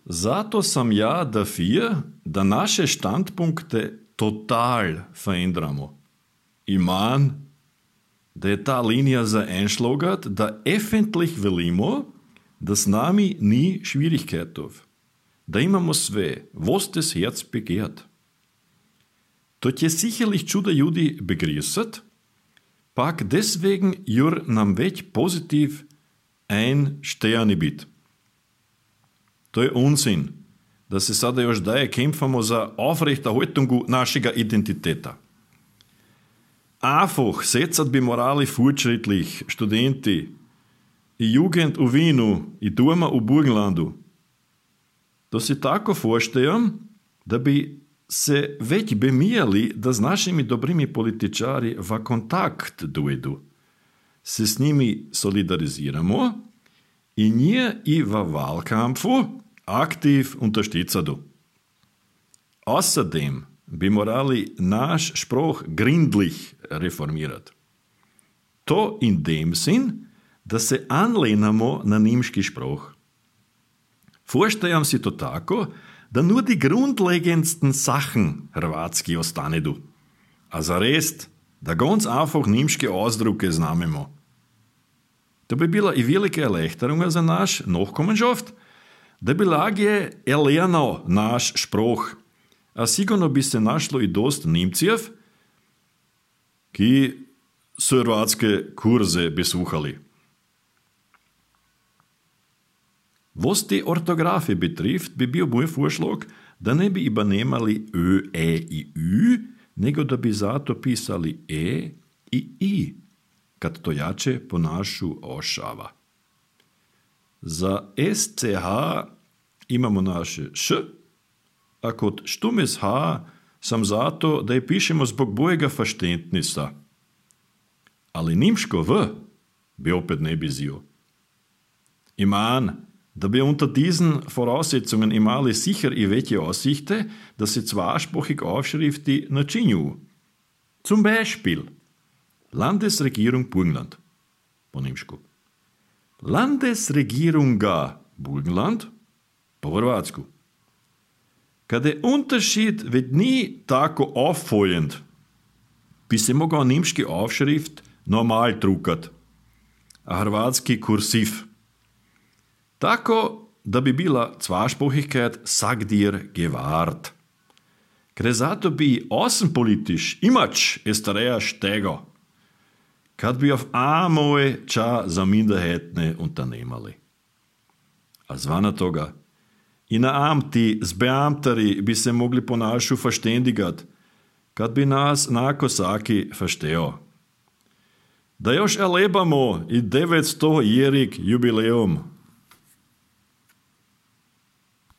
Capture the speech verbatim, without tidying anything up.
Zato sam ja dafür, da naše standpunkte total verändramo. Ich mein, da je ta linija za einschlagert, da öffentlich velimo, da s nami ni Schwierigkeitov. Da imamo sve, was das Herz begehrt. To je sicherlich čuda ljudi begrüßet, pak deswegen jur nam već positiv ein Stejani bit. To je unsinn, da se sada još daje kämpfamo za Aufrechterhaltungu našega identiteta. Einfach setzat bi morali fortschrittlich studenti i Jugend u Winu i doma u Burgenlandu. To si tako forstejam, da bi se već bemijali da s našimi dobrimi političari v kontakt dojdu, se s njimi solidariziramo i nje i v Wahlkampfu aktiv unterstützadu. Außerdem bi morali naš Spruch gründlich reformirat. To in dem Sinn, da se anlehnamo na nemški Spruch. Vorstejam si to tako, da nur die grundlegendsten Sachen hrvatski ostanedu, a za rest, da ganz einfach nemške Ausdrucke znamemo. To bi bila i velika erleichterung za naš Nachkommenschaft, da bi lažje erlerno naš Spruch, a sigurno bi se našlo i dost Nemcev, ki so hrvatske kurze besuhali. Was die Orthographie betrifft, bi bil moj vorschlag, da ne bi übernemali ö, e i ü, nego da bi zato pisali e i i, kad to jače po našu ošava. Za es ce ha imamo naše š, a kod štumes h sam zato, da je pišemo zbog bojega verständnisa. Ali nimško v bi opet ne bi zio. Iman, da bi unter diesen Voraussetzungen imali sicher i welche Aussichte, da se zweisprachig Aufschrifti načinju. Zum Beispiel Landesregierung Burgenland, po nemšku. Landesregierunga Burgenland, po hrvatsku. Kada je Unterschied ved ni tako auffallend, bi se mogao nemški Aufschrift normal drukat, a hrvatski kursiv. Tako, da bi bila Zweisprachigkeit sag dir gewahrt. Gre zato bi außenpolitisch imač estareja štego, kad bi auf einmal ča za minderheitne unternemali. A zvana toga, i na amti z beamtari bi se mogli po našu verständigat, kad bi nas nako saki versteo. Da još elebamo i devetsto-jerig jubileum,